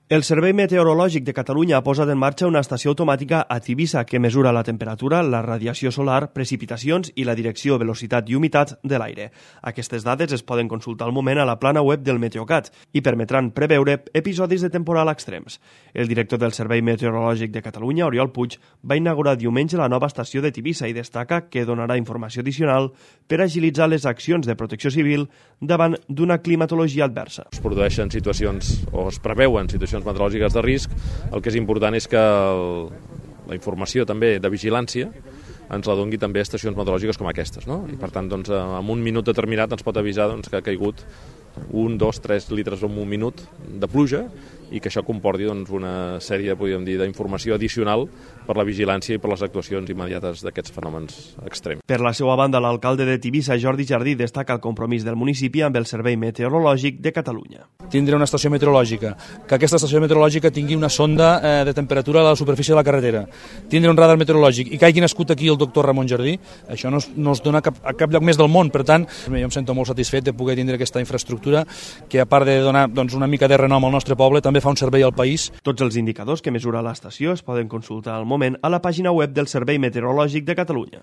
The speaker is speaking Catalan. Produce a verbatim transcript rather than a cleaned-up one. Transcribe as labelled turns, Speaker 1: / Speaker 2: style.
Speaker 1: El Servei Meteorològic de Catalunya ha posat en marxa una estació automàtica a Tivissa que mesura la temperatura, la radiació solar, precipitacions i la direcció, velocitat i humitat de l'aire. Aquestes dades es poden consultar al moment a la plana web del Meteocat i permetran preveure episodis de temporal extrems. El director del Servei Meteorològic de Catalunya, Oriol Puig, va inaugurar diumenge la nova estació de Tivissa i destaca que donarà informació addicional per agilitzar les accions de protecció civil davant d'una climatologia adversa.
Speaker 2: Es produeixen situacions o es preveuen situacions meteorològiques de risc. El que és important és que el, la informació també de vigilància ens la doni també a estacions meteorològiques com aquestes, no? I per tant, doncs, en un minut determinat ens pot avisar doncs, que ha caigut un, dos, tres litres en un minut de pluja i que això comporti doncs, una sèrie, podríem dir, d'informació addicional per la vigilància i per les actuacions immediates d'aquests fenòmens extrems.
Speaker 1: Per la seva banda, l'alcalde de Tivissa, Jordi Jardí, destaca el compromís del municipi amb el Servei Meteorològic de Catalunya.
Speaker 3: Tindre una estació meteorològica, que aquesta estació meteorològica tingui una sonda eh, de temperatura a la superfície de la carretera, tindre un radar meteorològic i que hagi nascut aquí el doctor Ramon Jardí, això no es, no es dona a cap, a cap lloc més del món. Per tant, jo em sento molt satisfet de poder tindre aquesta infraestructura que, a part de donar doncs, una mica de renom al nostre poble, també fa un servei al país.
Speaker 1: Tots els indicadors que mesura l'estació es poden consultar al moment a la pàgina web del Servei Meteorològic de Catalunya.